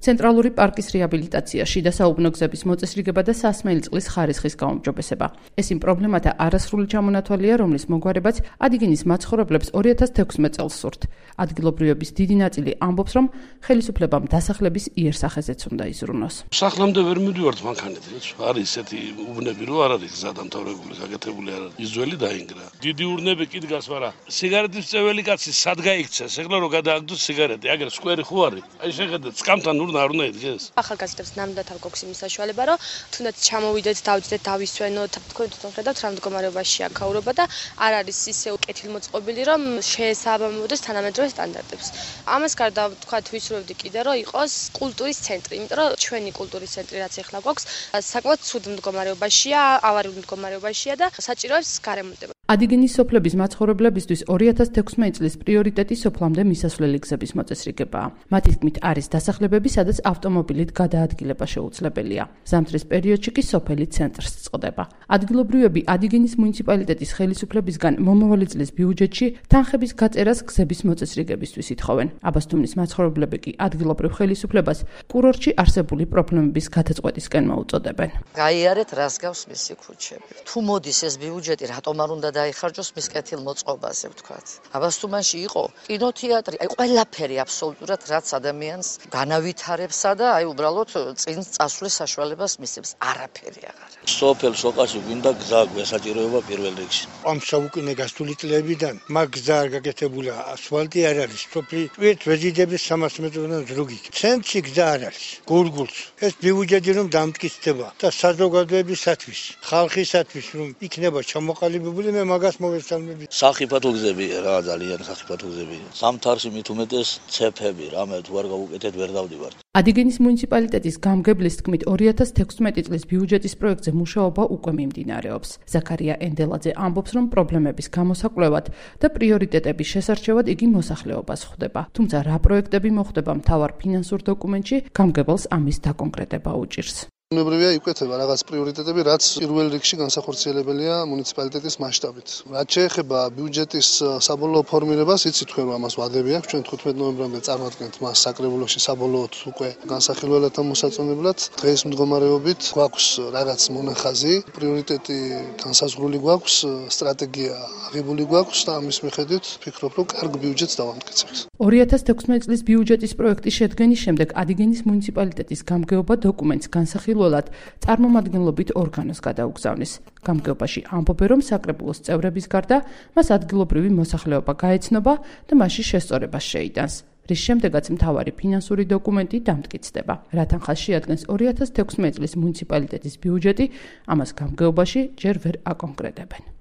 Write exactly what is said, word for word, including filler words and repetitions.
ცენტრალური პარკის რეაბილიტაცია, შიდა საუბნო გზების მოწესრიგება და სასმელი წყლის ხარისხის გაუმჯობესება. ეს იმ პრობლემათა არასრული ჩამონათვალია, რომლის მოგვარებაც ადგილის მაცხოვრებლებს ორი ათას თექვსმეტ წელს სურთ. ადგილობრივების დიდი ნაწილი ამბობს, რომ ხელისუფლებამ დასახლების იერსახეზეც უნდა იზრუნოს. სახლამდე ვერ მივდივართ მანქანით, არის ესეთი უბნები, რომ არ არის გზა დამთავრებული, გაკეთებული არ არის. იძველი დაინგრა. დიდი ურნები კიდგას, მაგრამ სიგარეტის წეველი კაცი სად გაიქცეს? ეხლა რომ გადააგდოს სიგარეტი, აგერ სკვერი ხო არის? აი შეხედეთ, სკამთან ურნა არ უნდა იდგეს. ახალგაზრდებს ნამდვილად არ გვაქვს იმის საშუალება, რომ თუნდაც ჩამოვიდეთ, დავიწყდეთ, დავისვენოთ, თქვენ თვითონ ხედავთ რა მდგომარეობაშია ქაურობა და არ არის ისე კეთილმოწყობილი, რომ შეესაბამებოდეს თანამედროვე სტანდარტებს. ამას გარდა თქვათ ვისურვებდი კიდე, რომ იყოს კულტურის ცენტრი, იმიტომ რომ ჩვენი კულტურის ცენტრი რაც ახლა გვაქვს, საკმაოდ ცუდ მდგომარეობაშია, ავარიულ მდგომარეობაშია და საჭიროებს გარემონტება. ადგილის სოფლების მაცხოვრებლებისთვის ორი ათას თექვსმეტ წლის პრიორიტეტი სოფლამდე მისასვლელი გზების მოწესრიგებაა. მათი თქმით არის დასახლებები, სადაც ავტომობილით გადაადგილება შეუძლებელია. ზამთრის პერიოდში კი სოფელი ცენტრს წყდება. ადგილობრივები ადგილის მუნიციპალიტეტის ხელისუფლებისგან მომავალი წლის ბიუჯეტში თანხების გაწერას გზების მოწესრიგებისთვის ითხოვენ. აბასთუმნის მაცხოვრებლები კი ადგილობრივ ხელისუფლებას კურორტში არსებული პრობლემების გადაწყვეტისკენ მოუწოდებენ. გაიარეთ რას გავს მისი ქუჩები. თუ მოდის ეს ბიუჯეტი რატომ არ უნდა დაიხარჯოს მის კეთილმოწყობაზე ვთქვათ. აბასთუმანში იყო კინოთეატრი, აი ყველაფერი აბსოლუტურად რაც ადამიანს განავითარებსა და აი უბრალოდ წინ წასვლის საშუალებას მისცემს. არაფერი აღარ არის. სოფელ სოკაში გვინდა გზა გვესაჭიროება პირველ რიგში. ამ საუკუნე გასული წლებიდან მაგ გზა არ გაკეთებულა, ასფალტი არ არის. სოფლი ტვირთ ვეზიდების სამას მეტროდან ზრუგით. ცენტრში გზა არ არის. გურგულს ეს ბიუჯეტი რომ დამტკიცდება და საზოგადოებისათვის, ხალხისათვის რომ იქნება ჩამოყალიბებული, მე მაგას მოვესალმები. სახიფათო გზები რა ძალიან სახიფათო გზები. სამთარში მით უმეტეს ცეფები, რამე თუ არ გავუკეთეთ ვერ დავდივართ. ადგილის მუნიციპალიტეტის გამგებლის თქმით ორი ათას თექვსმეტ წლის ბიუჯეტის პროექტზე მუშაობა უკვე მიმდინარეობს. ზაქარია ენდელაძე ამბობს, რომ პრობლემების გამოსაკვლევად და პრიორიტეტების შესარჩევად იგი მოსახლეობას ხვდება. თუმცა რა პროექტები მოხდება მთავარ ფინანსურ დოკუმენტში, გამგებელს ამის დაკონკრეტება უჭირს. უნებრივია იკვეთება რაღაც პრიორიტეტები, რაც პირველ რიგში განსახორციელებელია მუნიციპალიტეტის მასშტაბით. რაც შეეხება ბიუჯეტის საბოლოო ფორმირებას, იცით თქვენ რომ ამას ვადები აქვს, ჩვენ თხუთმეტ ნოემბრამდე წარმატებთ მას საკრებულოში საბოლოოდ უკვე განსახილველად მოსაწონებლად. დღეს მდგომარეობით გვაქვს რაღაც მონახაზი, პრიორიტეტი განსაზღვრული გვაქვს, სტრატეგია აღებული გვაქვს და ამის მიხედვით ვფიქრობ, რომ კარგ ბიუჯეტს დავამტკიცებთ. ორი ათას თექვსმეტ წლის ბიუჯეტის პროექტის შედგენის შემდეგ ადგილის მუნიციპალიტეტის გამგეობა დოკუმენტს განსახილველად წარმომადგენლობით ორგანოს გადაუგზავნის. გამგეობაში ამბობენ, რომ საკრებულოს წევრების გარდა მას ადგილობრივი მოსახლეობა გაეცნობა და მასში შესწორებას შეიტანს. რის შემდეგაც მთავარი ფინანსური დოკუმენტი დამტკიცდება. რა თანხას შეადგენს ორი ათას თექვსმეტ წლის მუნიციპალიტეტის ბიუჯეტი, ამას გამგეობაში ჯერ ვერ აკონკრეტებენ.